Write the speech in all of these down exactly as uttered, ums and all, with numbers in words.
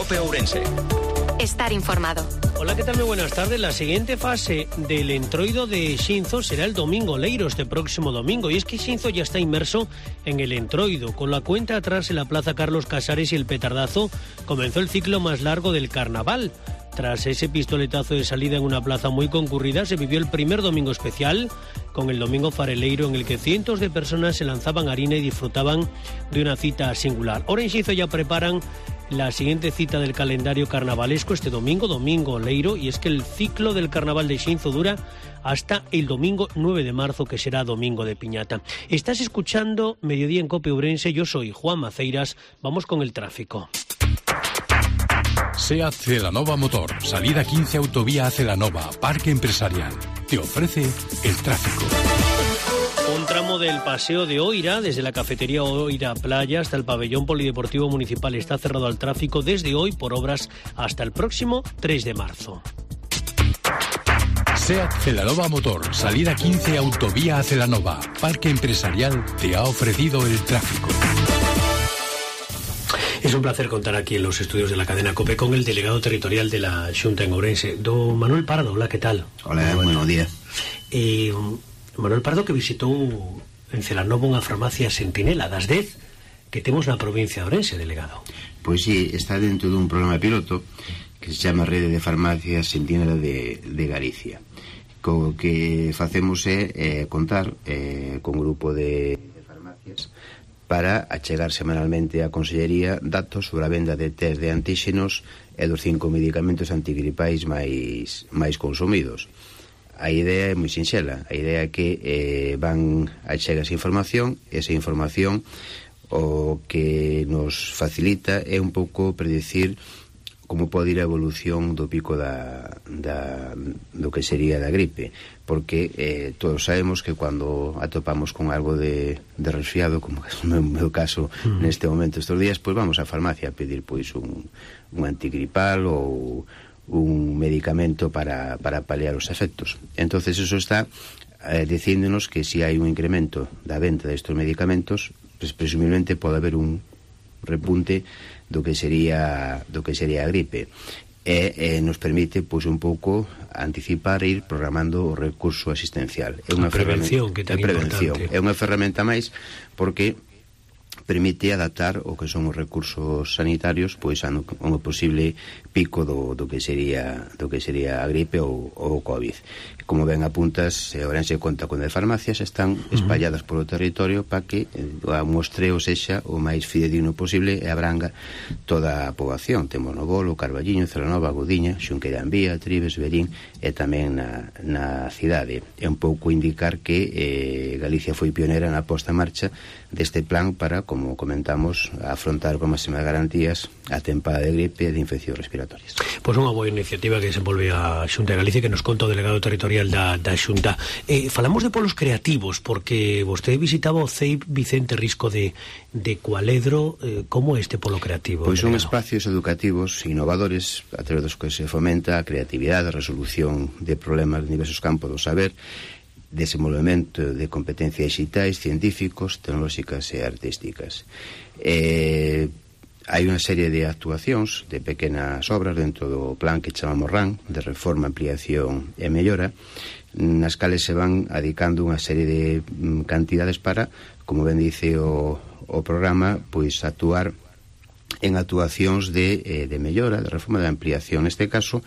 COPE Ourense. Estar informado. Hola, ¿qué tal? Muy buenas tardes. La siguiente fase del entroido de Xinzo será el domingo leiro, este próximo domingo. Y es que Xinzo ya está inmerso en el entroido. Con la cuenta atrás en la Plaza Carlos Casares y el petardazo, comenzó el ciclo más largo del carnaval. Tras ese pistoletazo de salida en una plaza muy concurrida, se vivió el primer domingo especial, con el domingo fareleiro, en el que cientos de personas se lanzaban harina y disfrutaban de una cita singular. Ahora en Xinzo ya preparan la siguiente cita del calendario carnavalesco este domingo, domingo leiro, y es que el ciclo del carnaval de Xinzo dura hasta el domingo nueve de marzo, que será domingo de piñata. Estás escuchando Mediodía en COPE Ourense, yo soy Juan Maceiras, vamos con el tráfico. SEAT Celanova Motor, salida quince Autovía a Celanova, Parque Empresarial. Te ofrece el tráfico. Un tramo del Paseo de Oira, desde la cafetería Oira Playa hasta el pabellón polideportivo municipal, está cerrado al tráfico desde hoy por obras hasta el próximo tres de marzo. SEAT Celanova Motor, salida quince Autovía a Celanova, Parque Empresarial, te ha ofrecido el tráfico. Es un placer contar aquí en los estudios de la cadena COPE con el delegado territorial de la Xunta en Ourense, don Manuel Pardo. Hola, ¿qué tal? Hola, buenos días. Eh, Manuel Pardo, que visitou en Celanova unha farmacia Sentinela das dez que temos na provincia de Ourense, delegado. Pois sí, está dentro dun programa piloto que se chama Rede de Farmacias Sentinela de, de Galicia. Co que facemos é eh, contar eh, con un grupo de, de farmacias para achegar semanalmente á Consellería datos sobre a venda de test de antíxenos e dos cinco medicamentos antigripais máis, máis consumidos. A idea é moi sinxela. A idea é que eh, van a chegar esa información, esa información o que nos facilita é un pouco predicir como pode ir a evolución do pico da, da, do que sería da gripe, porque eh, todos sabemos que cando atopamos con algo de, de resfriado, como é o meu, meu caso mm. neste momento estes días, pois vamos á farmacia a pedir pois un, un antigripal ou un medicamento para, para paliar os efectos. Entonces eso está eh, dicíndonos que se si hai un incremento da venta destes medicamentos, pues, presumiblemente pode haber un repunte do que sería do que sería a gripe e eh, nos permite pois un pouco anticipar e ir programando o recurso asistencial. É unha prevención que tan importante. É unha ferramenta máis porque permite adaptar o que son os recursos sanitarios pois a un posible pico do, do que sería do que sería a gripe ou o COVID. Como ben apuntas, Ourense conta con de farmacias, están espalladas polo territorio para que o mostreo sexa o máis fidedigno posible e abranga toda a poboación. Temos no Bolo, Carballiño, Celanova, Godiña, Xunqueira de Ambía, Trives, Verín e tamén na, na cidade. É un pouco indicar que eh, Galicia foi pionera na posta en marcha deste plan para, como comentamos, afrontar con máximas garantías a tempada de gripe e de infeccións respiratorias. Pois unha boa iniciativa que desenvolve a Xunta de Galicia, que nos conta o delegado territorial da, da Xunta. Eh, falamos de polos creativos, porque vostede visitaba o C E I P Vicente Risco de, de Cualedro. Eh, como é este polo creativo? Pois son espacios educativos innovadores a través dos que se fomenta a creatividade, a resolución de problemas de diversos campos do saber, desenvolvemento de competencias digitais, científicos, tecnolóxicas e artísticas. Eh, hai unha serie de actuacións de pequenas obras dentro do plan que chamamos R A N, de reforma, ampliación e mellora, nas cales se van adicando unha serie de cantidades para, como ben dice o, o programa, pois actuar en actuacións de, eh, de mellora, de reforma, de ampliación. Neste caso,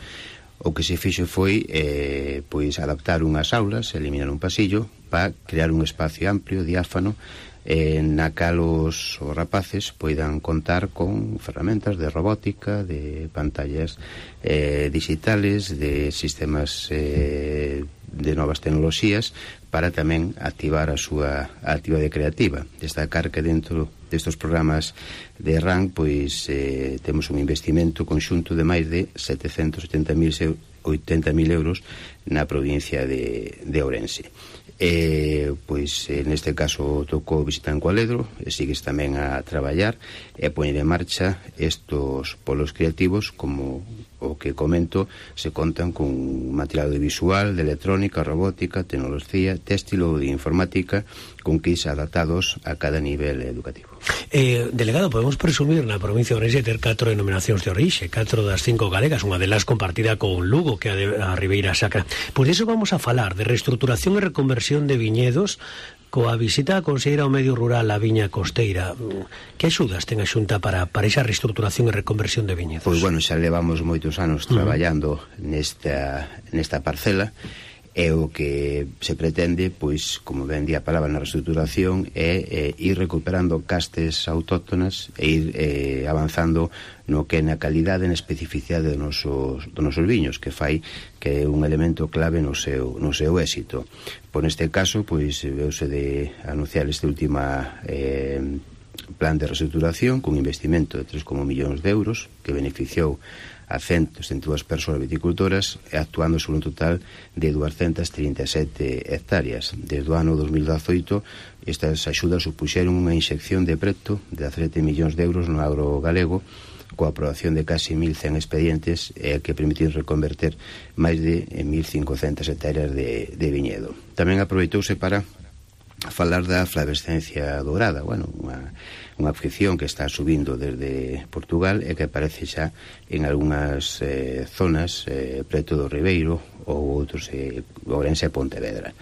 o que se fixo foi eh, pois adaptar unhas aulas, eliminar un pasillo para crear un espacio amplio, diáfano, eh, na cal os, os rapaces poidan contar con ferramentas de robótica, de pantallas eh, digitales, de sistemas eh, de novas tecnoloxías para tamén activar a súa actividade creativa. Destacar que dentro destes programas de R A N pois eh, temos un investimento conxunto de máis de setecentos oitenta mil euros na provincia de, de Ourense. Eh, pois neste caso tocou visitar en Cualedro e sigues tamén a traballar e a poñer en marcha estos polos creativos como o que comento, se contan con material audiovisual, de electrónica, robótica, tecnología, téxtil ou de informática, con kits adaptados a cada nivel educativo. Eh, delegado, podemos presumir na provincia de Ourense ter catro denominacións de orixe, catro das cinco galegas, unha delas compartida con Lugo, que é a Ribeira Sacra. Por iso vamos a falar de reestruturación e reconversión de viñedos coa visita a conselleira ao medio rural a Viña Costeira. Que axudas ten a Xunta para, para esa reestruturación e reconversión de viñedos? Pois bueno, xa levamos moitos anos traballando uh-huh. nesta, nesta parcela, e o que se pretende, pois, como ben di a palabra na reestruturación, é, é ir recuperando castes autóctonas e ir eh, avanzando no que é na calidade e na especificidade dos nosos, dos nosos viños, que fai que é un elemento clave no seu, no seu éxito. Por neste caso, pois, veuse de anunciar este última eh, plan de reestruturación con investimento de tres coma un millóns de euros que beneficiou a cento setenta e dúas persoas viticultoras, actuando sobre un total de duascentas trinta e sete hectáreas. Desde o ano dos mil dezoito, estas axudas supuxeron unha inxección de preto de dezasete millóns de euros no agro galego, coa aprobación de casi mil cen expedientes eh, que permitiron reconverter máis de mil cincocentas hectáreas de, de viñedo. Tamén aproveitouse para falar da flavescencia dourada, bueno, unha, unha afección que está subindo desde Portugal e que aparece xa en algunhas eh, zonas eh, preto do Ribeiro ou outros eh, Ourense e Pontevedra.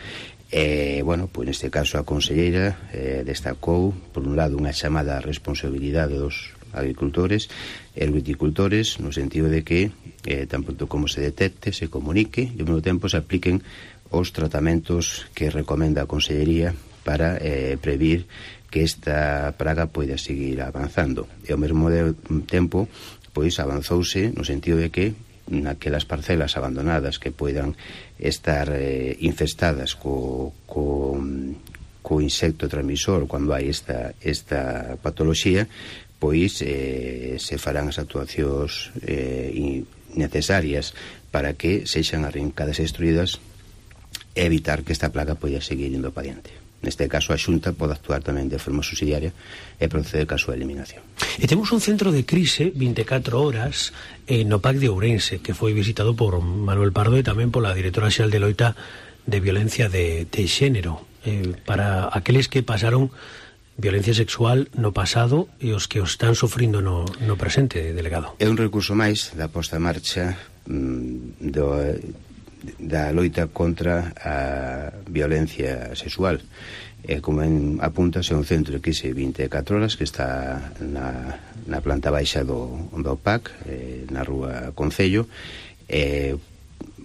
E, bueno, pois neste caso a conselleira eh, destacou, por un lado, unha chamada responsabilidade dos agricultores e os viticultores, no sentido de que eh, tan pronto como se detecte, se comunique e ao mesmo tempo se apliquen os tratamentos que recomenda a Consellería para eh, previr que esta praga poida seguir avanzando. E ao mesmo tempo, pois avanzouse no sentido de que naquelas parcelas abandonadas que poidan estar eh, infestadas co, co, co insecto transmisor cando hai esta, esta patoloxía, pois eh, se farán as actuacións eh, necesarias para que sexan arrincadas e destruídas e evitar que esta plaga poida seguir indo para diante. Neste caso, a Xunta pode actuar tamén de forma subsidiaria e proceder ca súa eliminación. E temos un centro de crise vinte e catro horas eh, no P A C de Ourense, que foi visitado por Manuel Pardo e tamén pola directora xeral de loita de violencia de, de xénero, eh, para aqueles que pasaron violencia sexual no pasado e os que os están sofrindo no, no presente, delegado. É un recurso máis da posta en marcha mm, do... da loita contra a violencia sexual. Eh, como en, apuntas, é un centro de crise vinte e catro horas que está na, na planta baixa do, do P A C, eh, na rúa Concello, eh,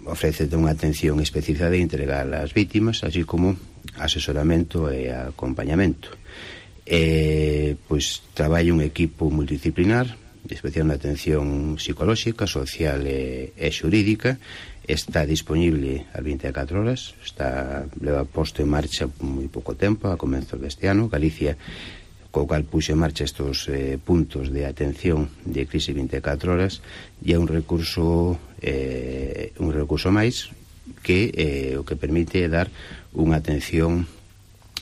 ofrece unha atención especializada e integral ás vítimas, así como asesoramento e acompañamento. Eh, pois traballa un equipo multidisciplinar especial na atención psicolóxica, social e, e xurídica. Está disponible ás vinte e catro horas, está leva posto en marcha moi pouco tempo, a comenzos deste ano. Galicia, co cal puxo en marcha estos eh, puntos de atención de crise vinte e catro horas, e é un recurso eh, un recurso máis que eh, o que permite dar unha atención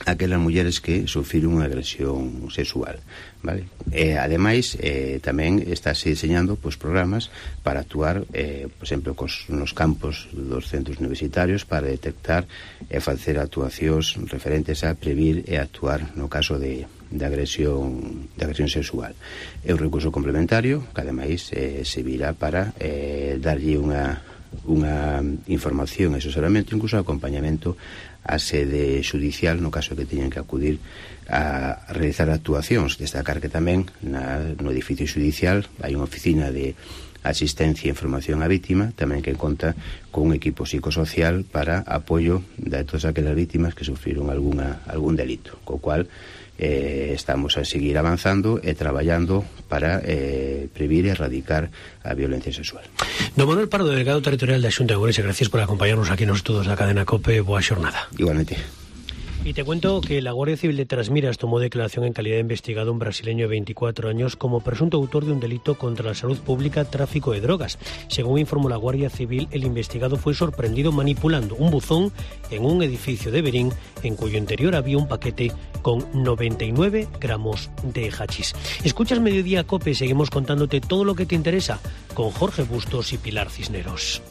aquelas mulleres que sufriron unha agresión sexual, vale? E, ademais, eh, tamén estáse diseñando pois, programas para actuar, eh, por exemplo, cos, nos campos dos centros universitarios para detectar e facer actuacións referentes a previr e actuar no caso de, de agresión de agresión sexual. É un recurso complementario que, ademais, eh, se virá para eh, darlle unha unha información e asesoramento, incluso acompañamento a sede xudicial no caso que teñan que acudir a realizar actuacións. Destacar que tamén na, no edificio xudicial hai unha oficina de asistencia e información á vítima, tamén que conta con un equipo psicosocial para apoio de todas aquelas vítimas que sufriron alguna, algún delito, co cual eh, estamos a seguir avanzando e traballando para eh, previr e erradicar a violencia sexual. Don Manuel Pardo, delegado territorial da Xunta de Ourense, gracias por acompañarnos aquí nos estudos da cadena COPE. Boa xornada. Igualmente. Y te cuento que la Guardia Civil de Trasmiras tomó declaración en calidad de investigado un brasileño de veinticuatro años como presunto autor de un delito contra la salud pública, tráfico de drogas. Según informó la Guardia Civil, el investigado fue sorprendido manipulando un buzón en un edificio de Berín, en cuyo interior había un paquete con noventa y nueve gramos de hachís. Escuchas Mediodía COPE, seguimos contándote todo lo que te interesa con Jorge Bustos y Pilar Cisneros.